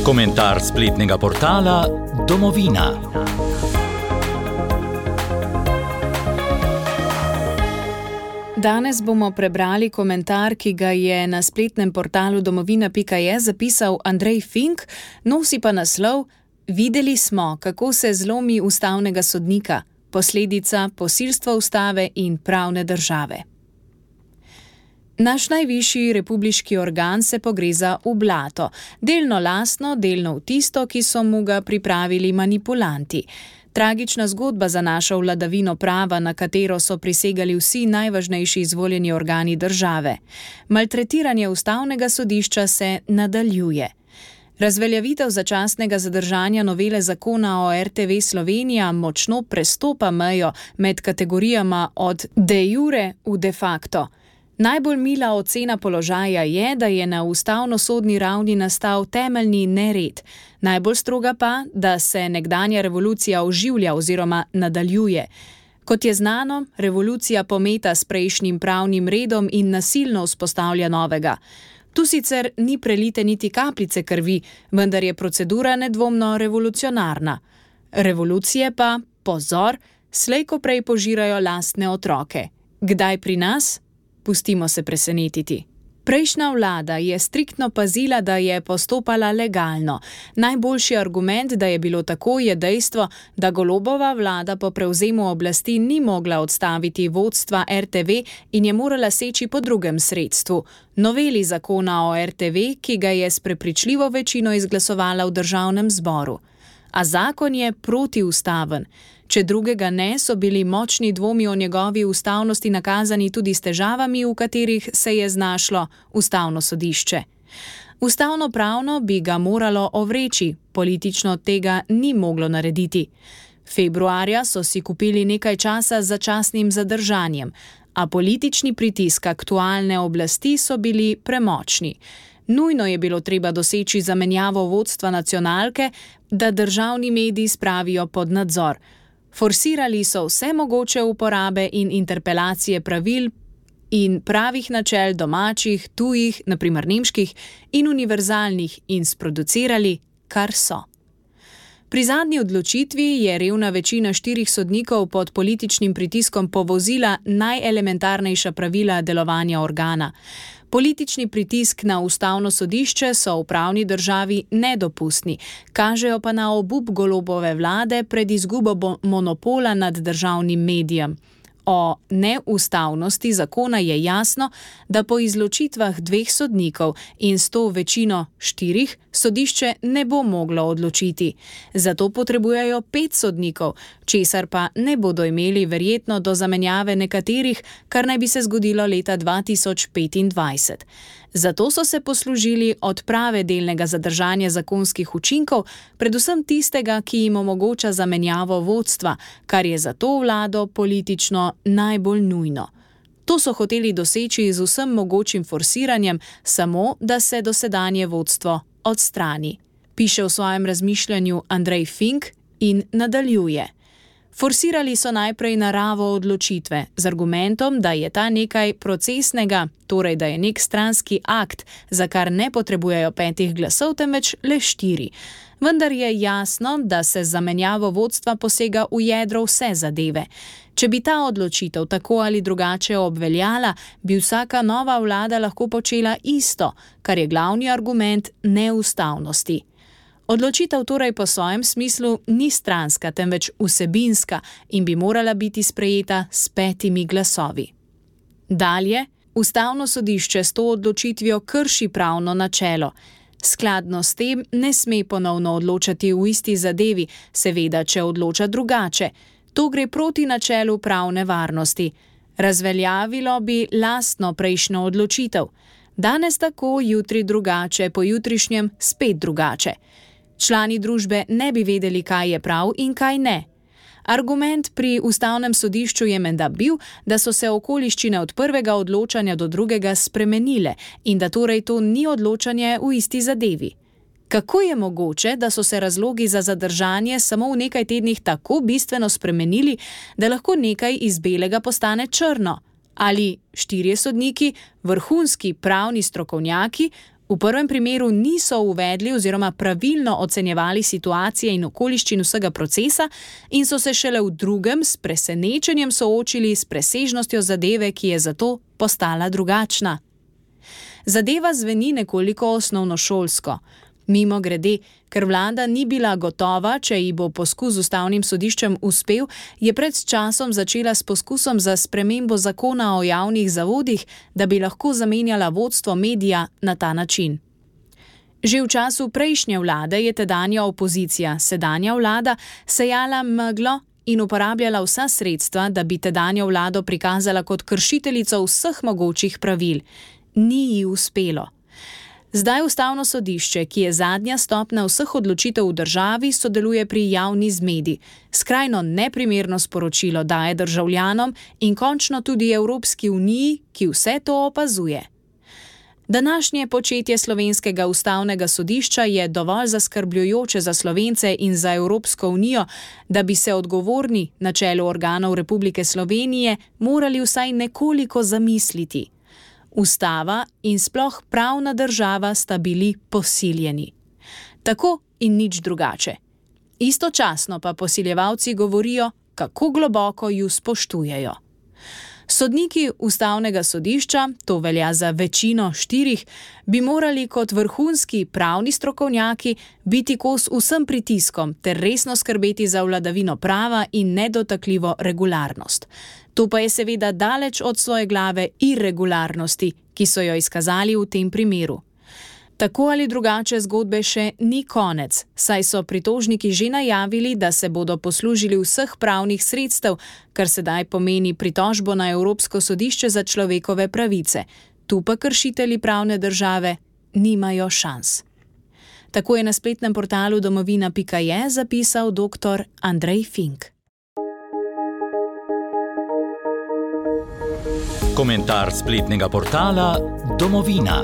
Komentar spletnega portala Domovina. Danes bomo prebrali komentar, ki ga je na spletnem portalu domovina.je zapisal Andrej Fink, nosi pa naslov: Videli smo, kako se zlomi ustavnega sodnika, posledica posilstva ustave in pravne države. Naš najvišji republiški organ se pogreza v blato, delno lastno, delno v tisto, ki so mu ga pripravili manipulanti. Tragična zgodba za našo vladavino prava, na katero so prisegali vsi najvažnejši izvoljeni organi države. Maltretiranje ustavnega sodišča se nadaljuje. Razveljavitev začasnega zadržanja novele zakona o RTV Slovenija močno prestopa mejo med kategorijama od de jure v de facto. Najbolj mila ocena položaja je, da je na ustavno-sodni ravni nastal temeljni nered. Najbolj stroga pa, da se nekdanja revolucija oživlja oziroma nadaljuje. Kot je znano, revolucija pometa s prejšnjim pravnim redom in nasilno vzpostavlja novega. Tu sicer ni prelite niti kapljice krvi, vendar je procedura nedvomno revolucionarna. Revolucije pa, pozor, slej ko prej požirajo lastne otroke. Kdaj pri nas? Pustimo se presenetiti. Prejšnja vlada je striktno pazila, da je postopala legalno. Najboljši argument, da je bilo tako, je dejstvo, da Golobova vlada po prevzemu oblasti ni mogla odstaviti vodstva RTV in je morala seči po drugem sredstvu, noveli zakona o RTV, ki ga je s prepričljivo večino izglasovala v državnem zboru. A zakon je protiustaven. Če drugega ne, so bili močni dvomi o njegovi ustavnosti nakazani tudi s težavami, v katerih se je znašlo ustavno sodišče. Ustavno-pravno bi ga moralo ovreči, politično tega ni moglo narediti. Februarja so si kupili nekaj časa z začasnim zadržanjem, a politični pritisk aktualne oblasti so bili premočni. Nujno je bilo treba doseči zamenjavo vodstva nacionalke, da državni mediji spravijo pod nadzor. Forsirali so vse mogoče uporabe in interpelacije pravil in pravih načel domačih, tujih, naprimer nemških in univerzalnih in sproducirali, kar so. Pri zadnji odločitvi je revna večina 4 sodnikov pod političnim pritiskom povozila najelementarnejša pravila delovanja organa. Politični pritisk na ustavno sodišče so v pravni državi nedopustni, kažejo pa na obup Golobove vlade pred izgubo monopola nad državnim medijem. O neustavnosti zakona je jasno, da po izločitvah 2 sodnikov in s to večino 4 sodišče ne bo moglo odločiti. Zato potrebujejo 5 sodnikov, česar pa ne bodo imeli verjetno do zamenjave nekaterih, kar naj bi se zgodilo leta 2025. Zato so se poslužili odprave delnega zadržanja zakonskih učinkov, predvsem tistega, ki jim omogoča zamenjavo vodstva, kar je za to vlado politično najbolj nujno. To so hoteli doseči z vsem mogočim forsiranjem, samo da se dosedanje vodstvo odstrani. Piše v svojem razmišljanju Andrej Fink in nadaljuje. Forsirali so najprej naravo odločitve z argumentom, da je ta nekaj procesnega, torej da je nek stranski akt, za kar ne potrebujejo 5 glasov, temveč le 4. Vendar je jasno, da se z zamenjavo vodstva posega v jedro vse zadeve. Če bi ta odločitev tako ali drugače obveljala, bi vsaka nova vlada lahko počela isto, kar je glavni argument neustavnosti. Odločitev torej po svojem smislu ni stranska, temveč vsebinska in bi morala biti sprejeta s 5 glasovi. Dalje, ustavno sodišče s to odločitvijo krši pravno načelo. Skladno s tem ne sme ponovno odločati v isti zadevi, seveda, če odloča drugače. To gre proti načelu pravne varnosti. Razveljavilo bi lastno prejšnjo odločitev. Danes tako, jutri drugače, pojutrišnjem spet drugače. Člani družbe ne bi vedeli, kaj je prav in kaj ne. Argument pri ustavnem sodišču je menda bil, da so se okoliščine od prvega odločanja do drugega spremenile in da torej to ni odločanje v isti zadevi. Kako je mogoče, da so se razlogi za zadržanje samo v nekaj tednih tako bistveno spremenili, da lahko nekaj iz belega postane črno? Ali 4 sodniki, vrhunski pravni strokovnjaki, V prvem primeru niso uvedli oziroma pravilno ocenjevali situacije in okoliščin vsega procesa in so se šele v drugem s presenečenjem soočili s presežnostjo zadeve, ki je zato postala drugačna. Zadeva zveni nekoliko osnovnošolsko. Mimogrede, ker vlada ni bila gotova, če ji bo poskus z ustavnim sodiščem uspel, je pred časom začela s poskusom za spremembo zakona o javnih zavodih, da bi lahko zamenjala vodstvo medija na ta način. Že v času prejšnje vlade je tedanja opozicija, sedanja vlada, sejala meglo in uporabljala vsa sredstva, da bi tedanjo vlado prikazala kot kršiteljico vseh mogočih pravil. Ni ji uspelo. Zdaj ustavno sodišče, ki je zadnja stopnja vseh odločitev v državi, sodeluje pri javni zmedi. Skrajno neprimerno sporočilo daje državljanom in končno tudi Evropski uniji, ki vse to opazuje. Današnje početje slovenskega ustavnega sodišča je dovolj zaskrbljujoče za Slovence in za Evropsko unijo, da bi se odgovorni na čelu organov Republike Slovenije morali vsaj nekoliko zamisliti. Ustava in sploh pravna država sta bili posiljeni. Tako in nič drugače. Istočasno pa posiljevalci govorijo, kako globoko ju spoštujejo. Sodniki ustavnega sodišča, to velja za večino 4, bi morali kot vrhunski pravni strokovnjaki biti kos vsem pritiskom ter resno skrbeti za vladavino prava in nedotakljivo regularnost. To pa je seveda daleč od svoje glave irregularnosti, ki so jo izkazali v tem primeru. Tako ali drugače zgodbe še ni konec, saj so pritožniki že najavili, da se bodo poslužili vseh pravnih sredstev, kar sedaj pomeni pritožbo na Evropsko sodišče za človekove pravice. Tu pa kršitelji pravne države nimajo šans. Tako je na spletnem portalu domovina.je zapisal dr. Andrej Fink. Komentar spletnega portala Domovina.